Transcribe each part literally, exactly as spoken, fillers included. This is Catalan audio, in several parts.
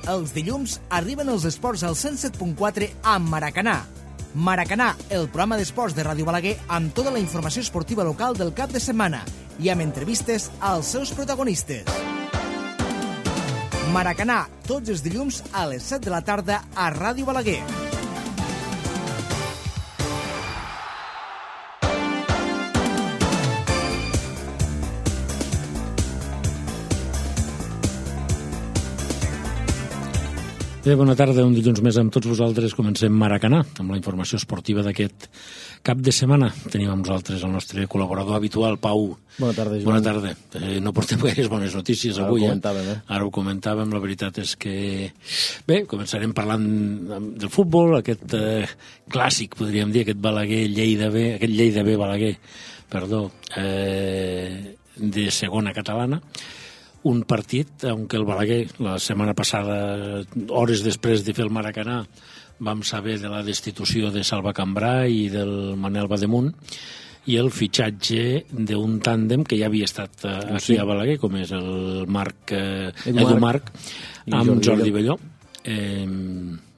Els dilluns arriben els esports al cent set punt quatre amb Maracanà. Maracanà, el programa d'esports de Ràdio Balaguer amb tota la informació esportiva local del cap de setmana i amb entrevistes als seus protagonistes. Maracanà, tots els dilluns a les set de la tarda a Ràdio Balaguer. Bé, bona tarda, un dilluns més amb tots vosaltres. Comencem Maracanà, amb la informació esportiva d'aquest cap de setmana. Tenim amb nosaltres el nostre col·laborador habitual, Pau. Bona tarda, Joan. Bona tarda. Eh, no portem gaires bones notícies Ara avui. Ara ho comentàvem, eh? eh? Ara ho comentàvem, la veritat és que... Bé, començarem parlant del futbol, aquest eh, clàssic, podríem dir, aquest Balaguer-Lleida B, aquest Lleida B-Balaguer, perdó, eh, de segona catalana. Un partit en què el Balaguer, la setmana passada, hores després de fer el Maracanà, vam saber de la destitució de Salva Cambrà i del Manel Bademunt i el fitxatge d'un tàndem que ja havia estat aquí sí. a Balaguer, com és el Marc, eh, Edu Marc, amb Jordi, Jordi Belló. Eh,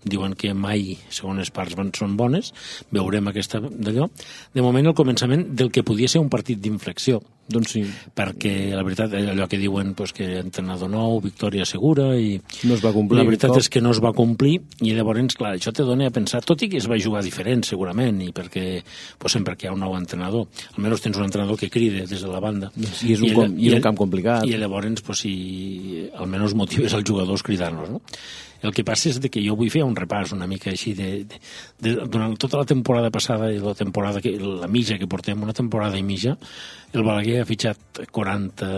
diuen que mai segones parts van, són bones, veurem aquesta d'allò. De moment el començament del que podia ser un partit d'inflexió, doncs sí. perquè la veritat, allò que diuen pues, que entrenador nou, victòria segura, i no es va complir, la veritat cop. és que no es va complir, i llavors, clar, això te dona a pensar, tot i que es va jugar diferent segurament, i perquè pues, sempre que hi ha un nou entrenador, almenys tens un entrenador que cride des de la banda, i és un, i com, i és un camp complicat, i llavors pues, si almenys motives als jugadors cridant-los, no? El que passa és que jo vull fer un repàs una mica així de, de, de, durant tota la temporada passada i la temporada que, la mitja que portem, una temporada i mitja, el Balaguer ha fitxat quaranta,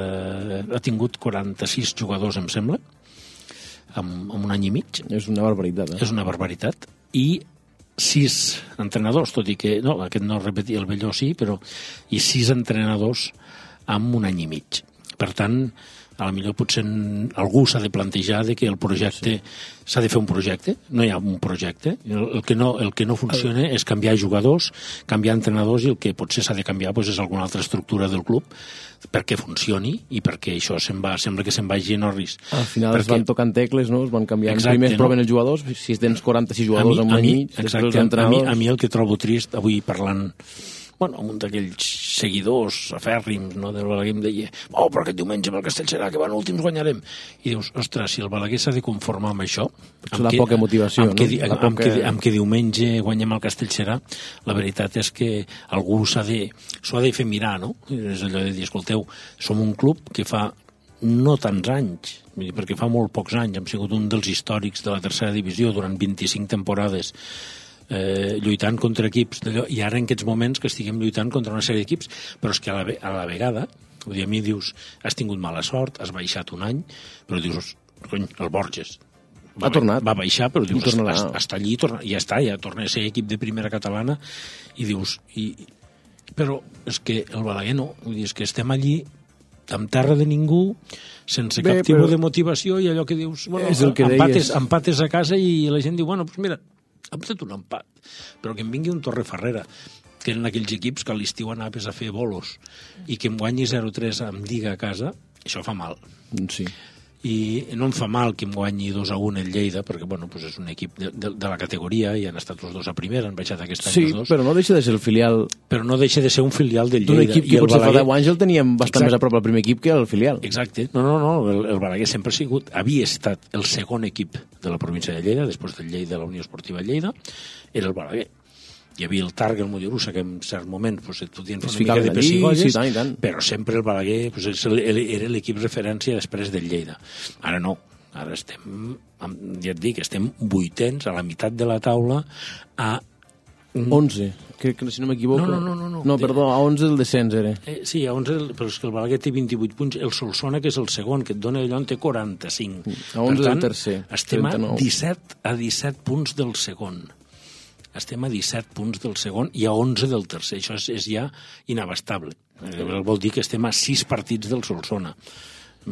ha tingut quaranta-sis jugadors, em sembla, en, en un any i mig. És una barbaritat, eh? És una barbaritat. I sis entrenadors, tot i que, no, aquest no repetia el Belló, sí, però, i sis entrenadors en un any i mig. Per tant, a la millor potser algú s'ha de plantejar de que el projecte s'ha sí. de fer un projecte, no hi ha un projecte, el, el, que, no, el que no funciona és canviar jugadors, canviar entrenadors, i el que potser s'ha de canviar doncs, és alguna altra estructura del club perquè funcioni i perquè això se'n va, sembla que se'n vagi en orris. Al final perquè... es van tocant tecles, no? Es van canviant. Exacte, primer es proven no? els jugadors, si tens quaranta-sis jugadors en un any i mig, exacte, després els entrenadors... A mi, a mi el que trobo trist, avui parlant bueno, un d'aquells seguidors afèrrims, no, del Balaguer em deia oh, però aquest diumenge amb el Castellserà, que van últims guanyarem. I dius, ostres, si el Balaguer s'ha de conformar amb això... Amb la que, poca motivació, amb no? Que, amb, poca... que, amb que diumenge guanyem el Castellserà, la veritat és que algú s'ha de, s'ho ha de fer mirar, no? És allò de dir, escolteu, som un club que fa no tants anys, perquè fa molt pocs anys, hem sigut un dels històrics de la tercera divisió durant vint-i-cinc temporades, Eh, lluitant contra equips d'allò, i ara en aquests moments que estiguem lluitant contra una sèrie d'equips, però és que a la, a la vegada vull dir, a mi dius, has tingut mala sort, has baixat un any, però dius, cony, el Borges va, ha tornat. va baixar, però dius, està, està allí, torna, ja està, ja torna a ser equip de primera catalana, i dius i, però és que el Balaguer no, vull dir, és que estem allí amb terra de ningú, sense Bé, cap tipus però... de motivació, i allò que dius, bueno, és el que empates, deies. empates a casa, i la gent diu, bueno, doncs mira, hem fet un empat, però que em vingui un Torreferrera, que eren aquells equips que a l'estiu anaves a fer bolos, i que em guanyi zero tres amb Lliga a casa, això fa mal. Sí. I no em fa mal que em guanyi dos a un el Lleida, perquè bueno, pues és un equip de, de, de la categoria, i han estat els dos a primera, han baixat aquest any sí, els dos. Sí, però no deixa de ser el filial... Però no deixa de ser un filial del Lleida. D'un equip que potser Balaguer... fa deu anys el teníem bastant Exacte. més a prop al primer equip que el filial. Exacte. No, no, no, el, el Balaguer sempre ha sigut, havia estat el segon equip de la província de Lleida, després del Lleida, la Unió Esportiva Lleida, era el Balaguer. Hi havia el Targa, el Mollerussa, que en cert moment pues, et podien fer una mica de pessigolles, sí, tant, tant. Però sempre el Balaguer pues, era l'equip referència després del Lleida. Ara no. Ara estem, ja et dic, estem vuitens a la meitat de la taula a... onze, crec que si no m'equivoco. No, no, no, no. No, perdó, a onze el descens era. Eh, sí, a onze, però és que el Balaguer té vint-i-vuit punts, el Solsona, que és el segon, que et dona allò, en té quaranta-cinc. A onze per tant, el tercer, estem trenta-nou. a disset, a disset punts del segon. Estem a disset punts del segon i a onze del tercer. Això és, és ja inabastable. Vol dir que estem a sis partits del Solsona.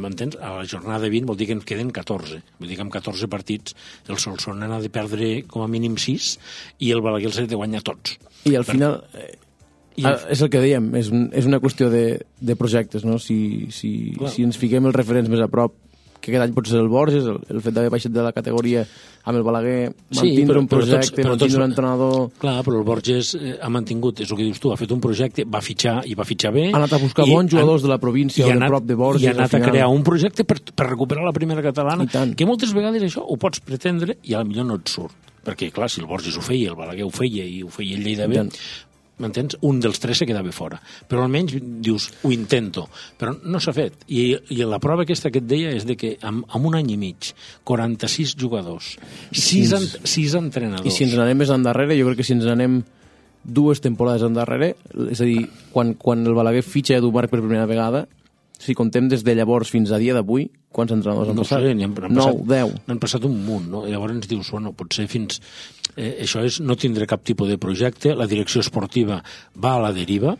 M'entens? A la jornada vint vol dir que en queden catorze. Vull dir que amb catorze partits el Solsona n'ha de perdre com a mínim sis i el Balaguer els ha de guanyar tots. I al final, eh, I el... és el que dèiem, és, un, és una qüestió de, de projectes, no? Si, si, si ens fiquem els referents més a prop, que aquest any pot ser el Borges, el, el fet d'haver baixat de la categoria amb el Balaguer, Sí, mantindre però- un però tots- projecte, però tots- mantindre un entrenador... Clar, però el Borges eh, ha mantingut, és el que dius tu, ha fet un projecte, va fitxar i va fitxar bé. Ha anat a buscar i bons jugadors han- de la província i o ha de anat- prop de Borges. I ha anat al a final. crear un projecte per, per recuperar la primera catalana, I tant. que moltes vegades això ho pots pretendre i a la millor no et surt. Perquè, clar, si el Borges ho feia, el Balaguer ho feia i ho feia el Lleida I bé, tant. m'entens? Un dels tres se quedava fora. Però almenys dius, ho intento. Però no s'ha fet. I, I la prova aquesta que et deia és de que en, en un any i mig, quaranta-sis jugadors, sis, en, sis entrenadors... I si ens n'anem més endarrere, jo crec que si ens n'anem dues temporades endarrere, és a dir, quan, quan el Balaguer fitxa Edu Marc per primera vegada, si contem des de llavors fins a dia d'avui, quants entrenadors han no passat? sé, n'han n'han nou, passat, deu. n'han passat un munt, no? I llavors ens dius, bueno, potser fins... Eh, això és no tindre cap tipus de projecte, la direcció esportiva va a la deriva,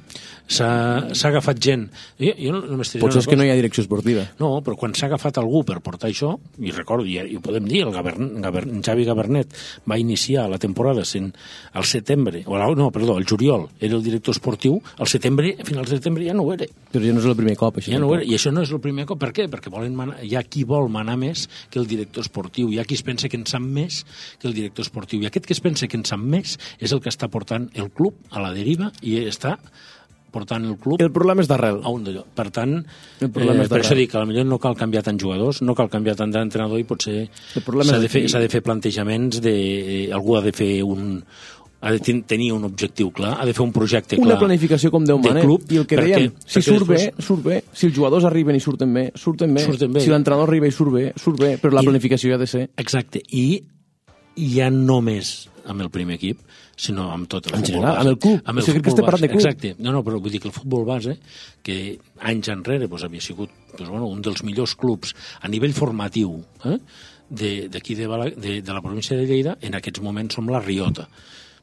s'ha s'ha agafat gent... Jo, jo no, només diré Potser una és que no cosa. hi ha direcció esportiva. No, però quan s'ha agafat algú per portar això, i recordo, i, i ho podem dir, el Gabern, Gabern, Xavi Gabernet va iniciar la temporada sent al setembre, o la, no, perdó, el juliol era el director esportiu, al setembre, a finals de setembre ja no ho era. Però ja no és el primer cop, això. Ja no ho era. tampoc. I això no és el primer cop. Per què? Perquè volen manar, hi ha qui vol manar més que el director esportiu. Hi ha qui es pensa que en sap més que el director esportiu. I aquest que es pensa que en sap més és el que està portant el club a la deriva i està portant el club El problema és d'arrel. a un d'allò. Per tant, El problema eh, és per d'arrel. això dic que potser no cal canviar tants jugadors, no cal canviar tant d'entrenador i potser El problema s'ha és de, fer, aquí. s'ha de fer plantejaments de... Algú ha de fer un... ha de ten- tenir un objectiu clar, ha de fer un projecte clar. Una planificació com Déu de mana. club, I el que perquè- dèiem, si perquè surt després- bé, surt bé. Si els jugadors arriben i surten bé, surten bé. Surten bé. Si l'entrenador arriba i surt bé, surt bé. Però la I- planificació ha de ser... Exacte, i ja no només amb el primer equip, sinó amb tot el En futbol general, base. amb el club. Amb el O sigui, que futbol estem parlant base. de club. Exacte. No, no, però vull dir que el futbol base, que anys enrere doncs, havia sigut doncs, bueno, un dels millors clubs a nivell formatiu eh, de- d'aquí de, Bala- de, de la província de Lleida, en aquests moments som la Riota.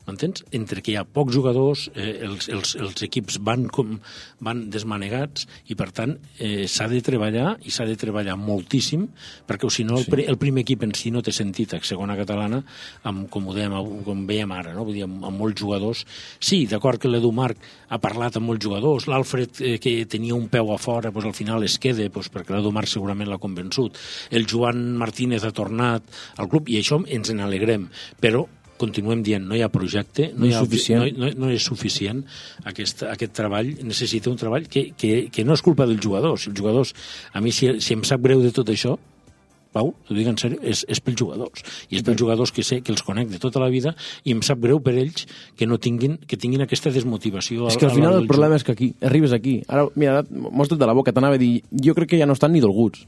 M'entens? Entre que hi ha pocs jugadors, eh, els, els, els equips van, com, van desmanegats i, per tant, eh, s'ha de treballar i s'ha de treballar moltíssim perquè, o si no, el, pri- el primer equip en si no té sentit a segona catalana, amb, com ho dèiem, com veiem ara, no? Vull dir, amb, amb molts jugadors. Sí, d'acord que l'Edu Marc ha parlat amb molts jugadors, l'Alfred, eh, que tenia un peu a fora, doncs, al final es queda, doncs, perquè l'Edu Marc segurament l'ha convençut. El Joan Martínez ha tornat al club i això ens en alegrem, però continuem dient, no hi ha projecte, no, No hi és ha, suficient. no, no, no és suficient. Aquest, aquest treball necessita un treball que, que, que no és culpa dels jugadors. Els jugadors, a mi, si, si em sap greu de tot això, Pau, t'ho dic en sèrio, és, és pels jugadors. I és pels jugadors que sé que els conec de tota la vida i em sap greu per ells que no tinguin, que tinguin aquesta desmotivació. És que al final el problema és que aquí, arribes aquí. Ara, mira, ara m'ho has tret de la boca, t'anava a dir, jo crec que ja no estan ni dolguts.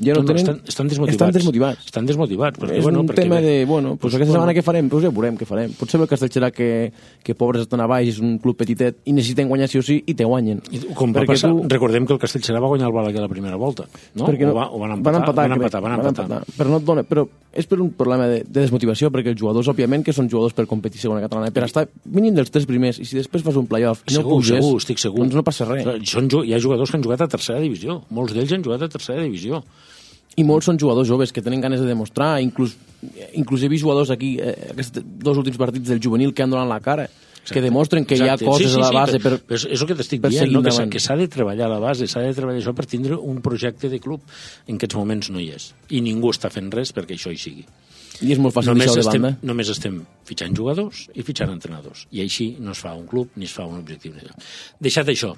Ja no, no, no, tenen... estan, estan desmotivats. Estan desmotivats. Estan desmotivats. Perquè, És bueno, un perquè, tema bé, de, bueno, pues pues, aquesta setmana bueno, què farem? Pues ja veurem què farem. Potser el Castellserà que, que pobres estan a baix, és un club petitet i necessiten guanyar sí o sí i te guanyen. I com va Perquè passar, tu- recordem que el Castellserà va guanyar el Balaguer la primera volta, no? Perquè O, va, o van empatar, van empatar, van crec. empatar, van empatar. Però, no et dona, però és per un problema de, de desmotivació, perquè els jugadors, òbviament, que són jugadors per competir segona catalana, per estar mínim dels tres primers, i si després fas un playoff i no Segur, puges, segur, estic segur. doncs no passa res. Són, ju- hi ha jugadors que han jugat a tercera divisió. Molts d'ells han jugat a tercera divisió. I molts són jugadors joves que tenen ganes de demostrar, inclús, inclús he vist jugadors aquí, eh, aquests dos últims partits del juvenil que han donat la cara, Exacte. que demostren que Exacte. hi ha coses sí, sí, a la sí, base però, per... però és, és el que t'estic per dient, seguir no? que s'ha- endavant. que s'ha de treballar a la base, s'ha de treballar això per tindre un projecte de club. En aquests moments no hi és. I ningú està fent res perquè això hi sigui. I és molt fàcil Només deixar-ho de estem, banda. només estem fitxant jugadors i fitxant entrenadors. I així no es fa un club ni es fa un objectiu. Deixat això,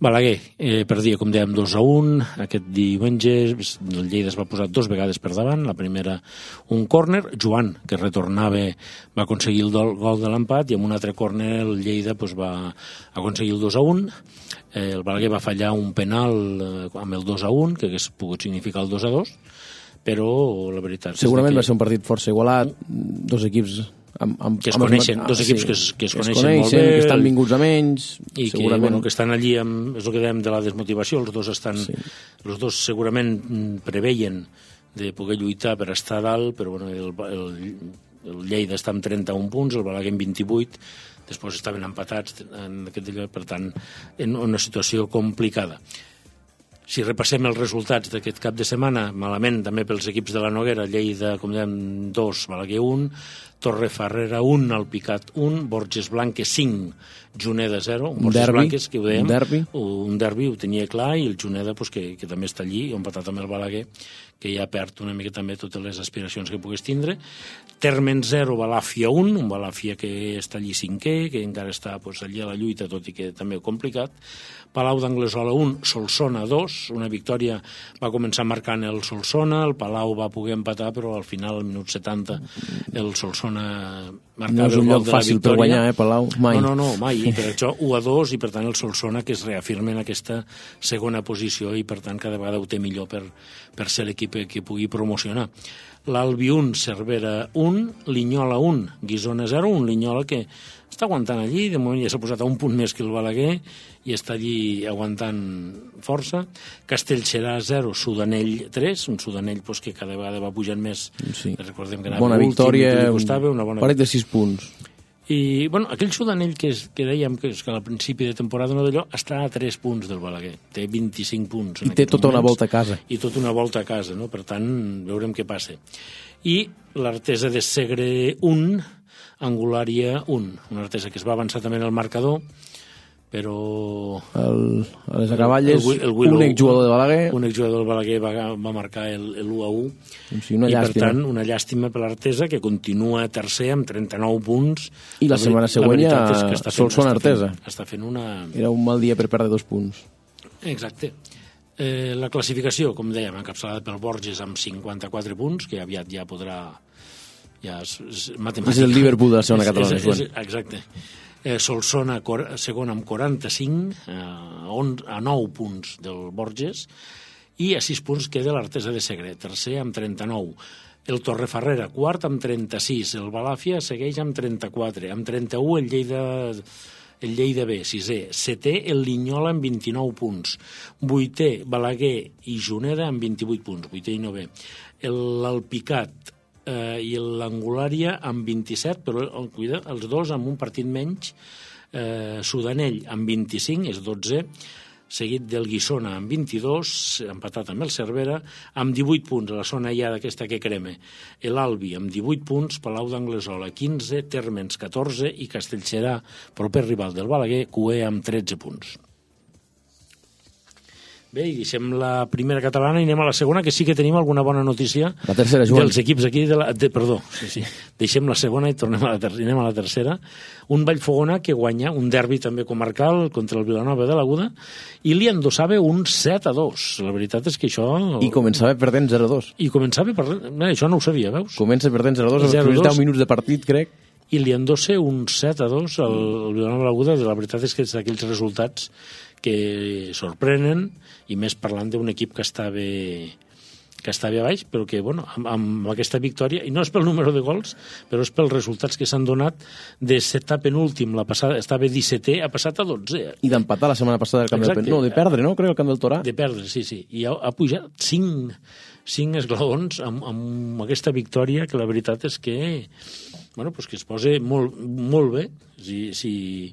Balaguer eh, perdia, com dèiem, dos a un. Aquest diumenge el Lleida es va posar dos vegades per davant. La primera, un córner. Joan, que retornava, va aconseguir el do- gol de l'empat i amb un altre córner el Lleida doncs, va aconseguir el dos a un. Eh, el Balaguer va fallar un penal eh, amb el dos a un, que hagués pogut significar el dos a dos, però la veritat Segurament és va que... ser un partit força igualat, dos equips amb, amb, Que es amb els coneixen, mat- dos equips que es- que es que coneixen molt bé, que estan el- vinguts a menys, i que, segurament. bueno, que estan allí amb, és el que dèiem de la desmotivació, els dos estan Sí. els dos segurament mm, preveien de poder lluitar per estar a dalt, però bueno, el, el, el Lleida està amb trenta-un punts, el Balaguer amb vint-i-vuit, després estaven empatats en aquest lloc, per tant, en una situació complicada. Si repassem els resultats d'aquest cap de setmana, malament també pels equips de la Noguera, Lleida, com dèiem, dos, Balaguer un, Torrefarrera un, Alpicat un, Borges Blanques cinc, Juneda zero, Un Borges derbi, Blanques, que ho dèiem, un derbi. un derbi ho tenia clar, i el Juneda, pues, que, que també està allí, ha empatat amb el Balaguer, que ja perd una mica també totes les aspiracions que pogués tindre. Termen zero, Balàfia un, un Balàfia que està allí cinquè, que encara està pues, allí a la lluita, tot i que també complicat. Palau d'Anglesola un, Solsona dos, una victòria, va començar marcant el Solsona, el Palau va poder empatar, però al final, al minut setanta, el Solsona marcava no és un el lloc gol de la fàcil victòria. per guanyar, eh, Palau? Mai. No, no, no, mai. I per això u a dos, i per tant el Solsona que es reafirma en aquesta segona posició i per tant cada vegada ho té millor per, per ser l'equip que pugui promocionar. L'Albi un, Cervera un, Linyola un, Guissona zero, un Linyola que està aguantant allí, de moment ja s'ha posat a un punt més que el Balaguer i està allí aguantant força. Castellserà zero, Sudanell tres, un Sudanell pues, que cada vegada va pujant més. Sí. Recordem que anava bona últim, victòria, que li costava, una bona paret de sis punts. I, bueno, aquell Sudanell que, és, que dèiem que, és que al principi de temporada no d'allò està a tres punts del Balaguer, té vint-i-cinc punts. I té tota moments, una volta a casa. I tota una volta a casa, no? Per tant, veurem què passa. I l'Artesa de Segre un, Angulària un, una Artesa que es va avançar també en el marcador, però... El, a les acaballes, el, el, el un exjugador de Balaguer... Un exjugador del Balaguer va, va marcar el, el u a u. Sí, una I, llàstima. per tant, una llàstima per l'Artesa, que continua tercer amb trenta-nou punts. I la setmana següent ja Solsona Artesa. Està fent una... Era un mal dia per perdre dos punts. Exacte. Eh, la classificació, com dèiem, encapçalada pel Borges amb cinquanta-quatre punts, que aviat ja podrà... Ja és, és, és el Liverpool de la segona catalana. És, és, exacte. Eh, Solsona segon amb quaranta-cinc, eh, a nou punts del Borges, i a sis punts queda l'Artesa de Segre, tercer amb trenta-nou. El Torrefarrera, quart amb trenta-sis. El Balàfia segueix amb trenta-quatre. Amb trenta-u el Lleida, el Lleida B, sisè. Setè el Linyola amb vint-i-nou punts. Vuitè Balaguer i Juneda amb vint-i-vuit punts, vuitè i novè. L'Alpicat eh, i l'Angulària amb vint-i-set, però cuida, els dos amb un partit menys. Eh, Sudanell amb vint-i-cinc, és dotzè, seguit del Guissona amb vint-i-dos, empatat amb el Cervera, amb divuit punts a la zona ja d'aquesta que creme. L'Albi amb divuit punts, Palau d'Anglesola quinze, Térmens catorze i Castellserà, proper rival del Balaguer, cué amb tretze punts. Bé, i deixem la primera catalana i anem a la segona, que sí que tenim alguna bona notícia. La tercera, Joan. Dels equips aquí de la... De, perdó, sí, sí. Deixem la segona i tornem a la, ter anem a la tercera. Un Vallfogona que guanya un derbi també comarcal contra el Vilanova de l'Aguda i li endossava un set a dos. La veritat és que això... I començava perdent zero a dos. I començava perdent... Bé, això no ho sabia, veus? Comença perdent zero a dos, els primers deu minuts de partit, crec. I li endossa un set a dos al Vilanova de l'Aguda. La veritat és que és d'aquells resultats que sorprenen, i més parlant d'un equip que estava que estava a baix, però que, bueno, amb, amb aquesta victòria, i no és pel número de gols, però és pels resultats que s'han donat de set a penúltim, la passada estava dissetè, ha passat a dotze. I d'empatar la setmana passada al camp del... No, de perdre, no? Crec, al camp del Torà. De perdre, sí, sí. I ha, ha pujat cinc, cinc esglaons amb, amb aquesta victòria, que la veritat és que, bueno, pues que es posa molt, molt bé. Si, si,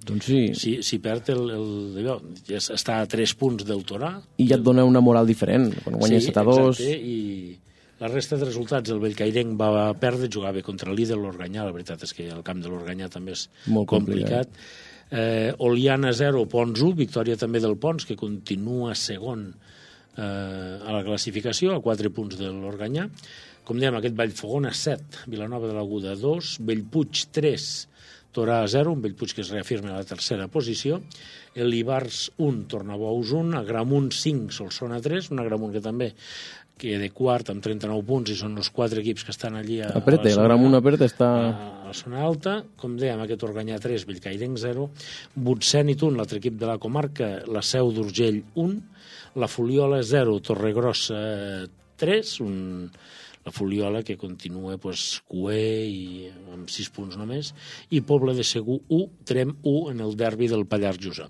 doncs sí. si, si perd el, el, allò, ja està a tres punts del Torà. I ja et dona una moral diferent, quan guanya sí, set a dos. Exacte, i la resta de resultats, el Bellcairenc va perdre, jugava contra el líder l'Organyà, la veritat és que el camp de l'Organyà també és molt complicat. complicat. Eh, Oliana zero, Pons u, victòria també del Pons, que continua segon eh, a la classificació, a quatre punts de l'Organyà. Com dèiem, aquest Vallfogona set, Vilanova de l'Aguda dos, Bellpuig tres, Torà zero, un Bellpuig que es reafirma a la tercera posició, l'Ibars un, Tornabous un, Agramunt cinc, Solsona tres, un Agramunt que també queda quart amb trenta-nou punts i són els quatre equips que estan allí a, apreta, a la l'Agramunt apreta, està... a la zona alta. Com dèiem, aquest Organyà tres, Bellcairenc zero, Butsènit un, l'altre equip de la comarca, la Seu d'Urgell un, la Fuliola zero, Torregrossa tres, un... la Fuliola que continua pues, cué i amb sis punts només, i Pobla de Segur u, Trem u en el derbi del Pallars Jussà.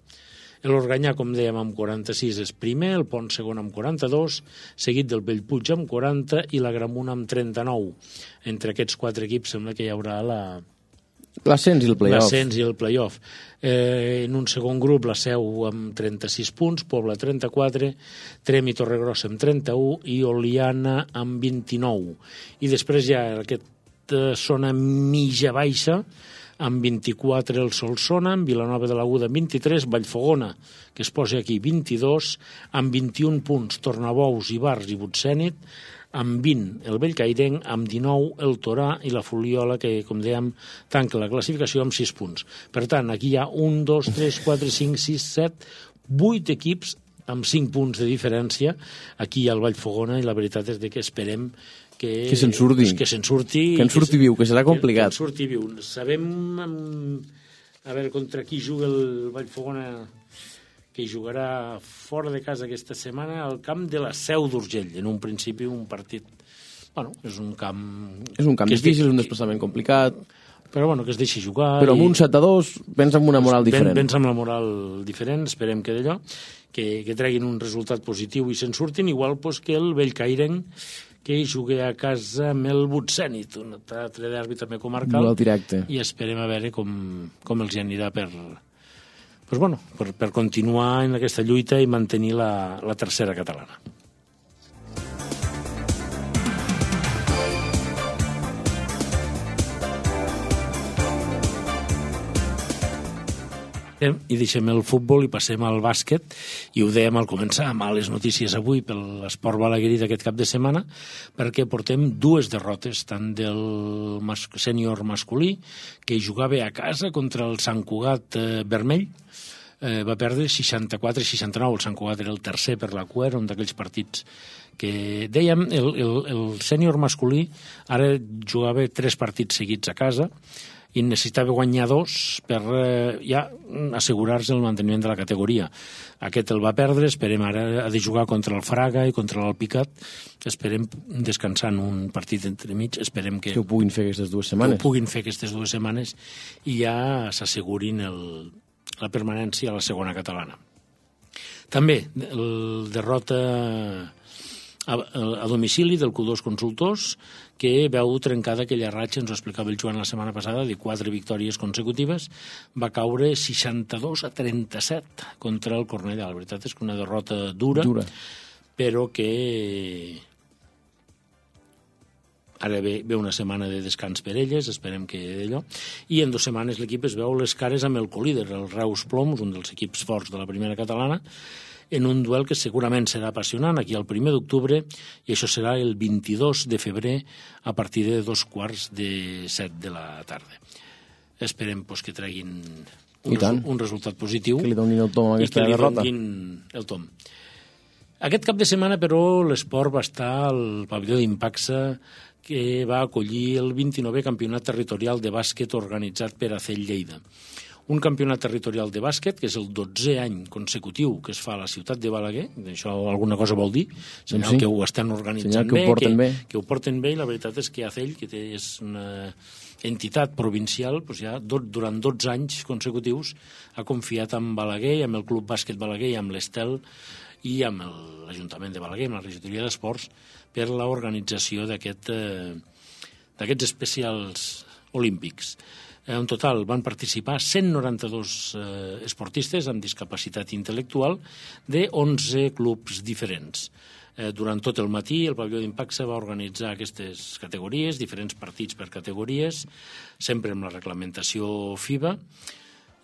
L'Organyà, com dèiem, amb quaranta-sis és primer, el Pont segon amb quaranta-dos, seguit del Bellpuig amb quaranta i l'Agramunt amb trenta-nou. Entre aquests quatre equips sembla que hi haurà la... l'ascens i el play-off. L'ascens i el play-off. Eh, en un segon grup, la Seu amb trenta-sis punts, Pobla trenta-quatre, Trem i Torregrossa amb trenta-u i Oliana amb vint-i-nou. I després ja aquest eh, zona mitja-baixa, amb vint-i-quatre el Solsona, amb Vilanova de l'Aguda amb vint-i-tres, Vallfogona, que es posa aquí, vint-i-dos, amb vint-i-un punts, Tornabous, Ivars i Butsènit, amb vint el Bellcaireng, amb dinou el Torà i la Fuliola, que, com dèiem, tanca la classificació amb sis punts. Per tant, aquí hi ha un, dos, tres, quatre, cinc, sis, set, vuit equips amb cinc punts de diferència. Aquí hi ha el Vallfogona i la veritat és que esperem que, que se'n surti. Que se'n surti. Que en surti viu, que serà complicat. Que, que en surti viu. Sabem a veure contra qui juga el Vallfogona, que jugarà fora de casa aquesta setmana al camp de la Seu d'Urgell. En un principi un partit... Bueno, és un camp... És un camp difícil, és un desplaçament complicat. Però bueno, que es deixi jugar. Però amb un set a dos vens amb una moral diferent. Vens amb la moral diferent, esperem que d'allò, que, que treguin un resultat positiu i se'n surtin, igual pues, que el Bellcaireng, que jugui a casa amb el Butsènit, un altre derbi també comarcal. Duel directe. I esperem a veure com, com els anirà per, pues bueno, per, per continuar en aquesta lluita i mantenir la, la tercera catalana. I deixem el futbol i passem al bàsquet, i ho dèiem al començar, males notícies avui per l'esport balaguerí d'aquest cap de setmana, perquè portem dues derrotes, tant del mas sènior masculí, que jugava a casa contra el Sant Cugat eh, Vermell, eh, va perdre seixanta-quatre a seixanta-nou, el Sant Cugat era el tercer per la cua, era un d'aquells partits que dèiem, el, el, el sènior masculí ara jugava tres partits seguits a casa, i necessitava guanyar dos per eh, ja assegurar-se el manteniment de la categoria. Aquest el va perdre, esperem ara ha de jugar contra el Fraga i contra l'Alpicat, esperem descansar en un partit entremig, esperem que, que ho puguin fer aquestes dues setmanes. Que ho puguin fer aquestes dues setmanes i ja s'assegurin el, la permanència a la segona catalana. També el derrota a, a domicili del Q dos Consultors, que veu trencada aquella ratxa, ens ho explicava el Joan la setmana passada, de quatre victòries consecutives, va caure seixanta-dos a trenta-set contra el Cornellà. La veritat és que una derrota dura, dura. Però que ara ve, ve una setmana de descans per elles, esperem que d'allò, i en dues setmanes l'equip es veu les cares amb el colíder, el Reus Ploms, un dels equips forts de la primera catalana, en un duel que segurament serà apassionant, aquí el primer d'octubre, i això serà el vint-i-dos de febrer a partir de dos quarts de set de la tarda. Esperem pues, que treguin un, resu un resultat positiu. Que li donin el tom a aquesta derrota. I que li donin el tom. Aquest cap de setmana, però, l'esport va estar al pavelló d'Impaxa, que va acollir el vint-i-novè campionat territorial de bàsquet organitzat per A C E L Lleida. Un campionat territorial de bàsquet, que és el dotzè any consecutiu que es fa a la ciutat de Balaguer, això alguna cosa vol dir, senyal sí. que ho estan organitzant que bé, ho que, bé, que ho porten bé, i la veritat és que A C E L, que té, és una entitat provincial, doncs ja dot, durant dotze anys consecutius ha confiat en Balaguer, amb el Club Bàsquet Balaguer, i amb l'Estel, i amb l'Ajuntament de Balaguer, amb la regidoria d'Esports, per l'organització d'aquest, eh, d'aquests especials olímpics. En total van participar cent noranta-dos eh, esportistes amb discapacitat intel·lectual de onze clubs diferents. Eh, durant tot el matí el pavelló d'Impaxa va organitzar aquestes categories, diferents partits per categories, sempre amb la reglamentació FIBA,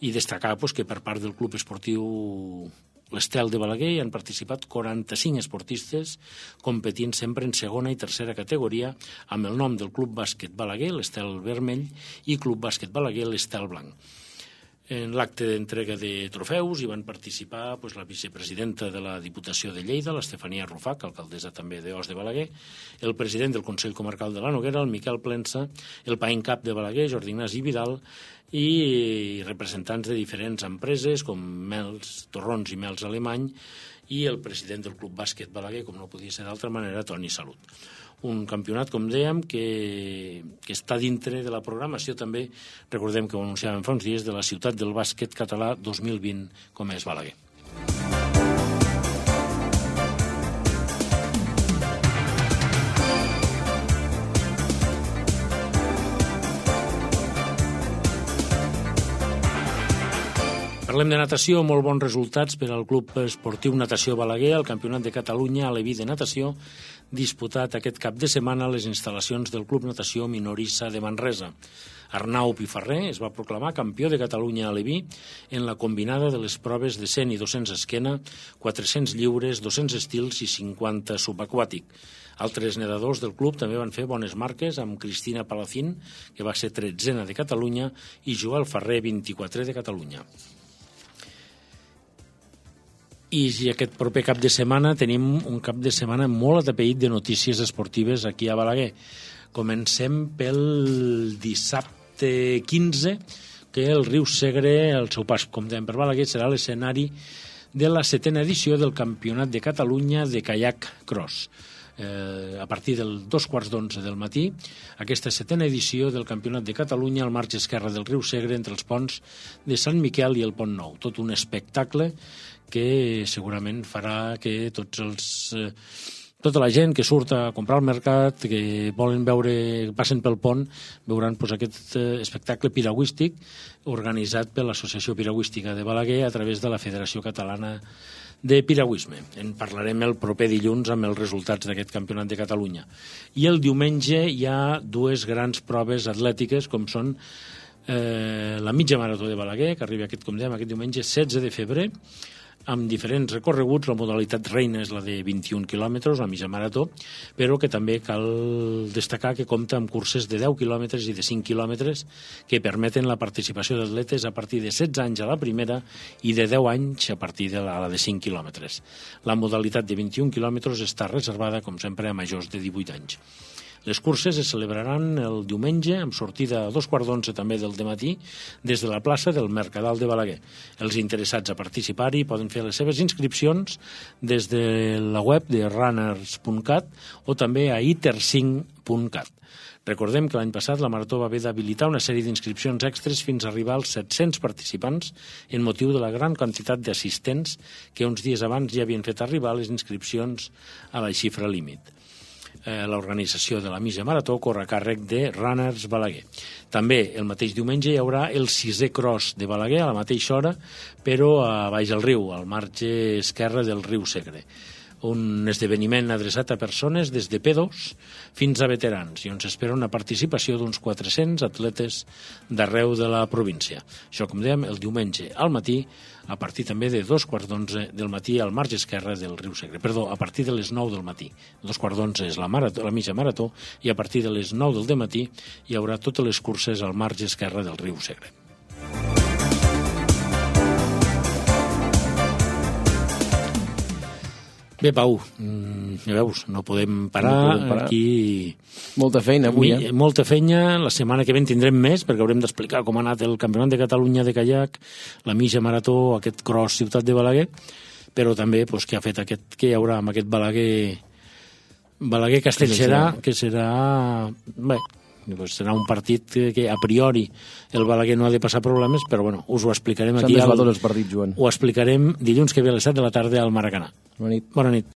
i destacar pues, que per part del Club Esportiu l'Estel de Balaguer hi han participat quaranta-cinc esportistes competint sempre en segona i tercera categoria amb el nom del Club Bàsquet Balaguer, l'Estel Vermell, i Club Bàsquet Balaguer, l'Estel Blanc. En l'acte d'entrega de trofeus hi van participar pues, la vicepresidenta de la Diputació de Lleida, l'Estefania Rufac, alcaldessa també d'Os de Balaguer, el president del Consell Comarcal de la Noguera, el Miquel Plensa, el paent cap de Balaguer, Jordi Ignasi Vidal, i representants de diferents empreses com Mels, Torrons i Mels Alemany, i el president del Club Bàsquet Balaguer, com no podia ser d'altra manera, Toni Salut. Un campionat, com dèiem, que, que està dintre de la programació també, recordem que ho anunciàvem fa uns dies, de la ciutat del bàsquet català dos mil vint, com és Balaguer. Parlem de natació, molt bons resultats per al Club Esportiu Natació Balaguer, al Campionat de Catalunya a l'E V I de natació, disputat aquest cap de setmana a les instal·lacions del Club Natació Minorissa de Manresa. Arnau Pifarré es va proclamar campió de Catalunya a Leví en la combinada de les proves de cent i dos-cents esquena, quatre-cents lliures, dos-cents estils i cinquanta subaquàtic. Altres nedadors del club també van fer bones marques, amb Cristina Palacín, que va ser tretzena de Catalunya, i Joel Ferrer, vint-i-quatre de Catalunya. I aquest proper cap de setmana tenim un cap de setmana molt atapeït de notícies esportives aquí a Balaguer. Comencem pel dissabte quinze, que el riu Segre, el seu pas, com dèiem, per Balaguer, serà l'escenari de la setena edició del Campionat de Catalunya de Kayak Cross. Eh, a partir del dos quarts d'onze del matí, aquesta setena edició del Campionat de Catalunya al marge esquerre del riu Segre, entre els ponts de Sant Miquel i el Pont Nou. Tot un espectacle que segurament farà que tots els... Eh, tota la gent que surt a comprar al mercat, que volen veure, passen pel pont, veuran pues, aquest eh, espectacle piragüístic organitzat per l'Associació Piragüística de Balaguer a través de la Federació Catalana de Piragüisme. En parlarem el proper dilluns amb els resultats d'aquest Campionat de Catalunya. I el diumenge hi ha dues grans proves atlètiques, com són eh, la mitja marató de Balaguer, que arriba aquest, com dèiem, aquest diumenge setze de febrer, amb diferents recorreguts. La modalitat reina és la de vint-i-un quilòmetres, la mitja marató, però que també cal destacar que compta amb curses de deu quilòmetres i de cinc quilòmetres que permeten la participació d'atletes a partir de setze anys a la primera i de deu anys a partir de la, la de cinc quilòmetres. La modalitat de vint-i-un quilòmetres està reservada, com sempre, a majors de divuit anys. Les curses es celebraran el diumenge amb sortida a dos quarts d'onze també del dematí des de la plaça del Mercadal de Balaguer. Els interessats a participar-hi poden fer les seves inscripcions des de la web de runners punt cat o també a iter cinc punt cat. Recordem que l'any passat la Marató va haver d'habilitar una sèrie d'inscripcions extres fins a arribar als set-cents participants en motiu de la gran quantitat d'assistents que uns dies abans ja havien fet arribar les inscripcions a la xifra límit. L'organització de la mitja marató corre a càrrec de Runners Balaguer. També el mateix diumenge hi haurà el sisè cross de Balaguer a la mateixa hora, però a baix del riu, al marge esquerre del riu Segre. Un esdeveniment adreçat a persones des de P dos fins a veterans i on s'espera una participació d'uns quatre-cents atletes d'arreu de la província. Això, com dèiem, el diumenge al matí, a partir també de dos quarts d'onze del matí al marge esquerre del riu Segre. Perdó, a partir de les nou del matí. Dos quarts d'onze és la, marató, la mitja marató i a partir de les nou del dematí hi haurà totes les curses al marge esquerre del riu Segre. Bé, Pau, ja veus, no podem parar, no podem parar. Aquí... Molta feina avui, eh? Molta feina, la setmana que ve en tindrem més, perquè haurem d'explicar com ha anat el Campionat de Catalunya de Kayak, la mitja marató, aquest cross Ciutat de Balaguer, però també pues, què ha fet aquest, què hi haurà amb aquest Balaguer, Balaguer Castellserà, que serà... Bé, pues serà un partit que, que a priori el Balaguer no ha de passar problemes, però bueno, us ho explicarem aquí. S'han desbat tots els partits, Joan. Ho explicarem dilluns que ve a les set de la tarda al Maracanà. Bona nit. Bona nit.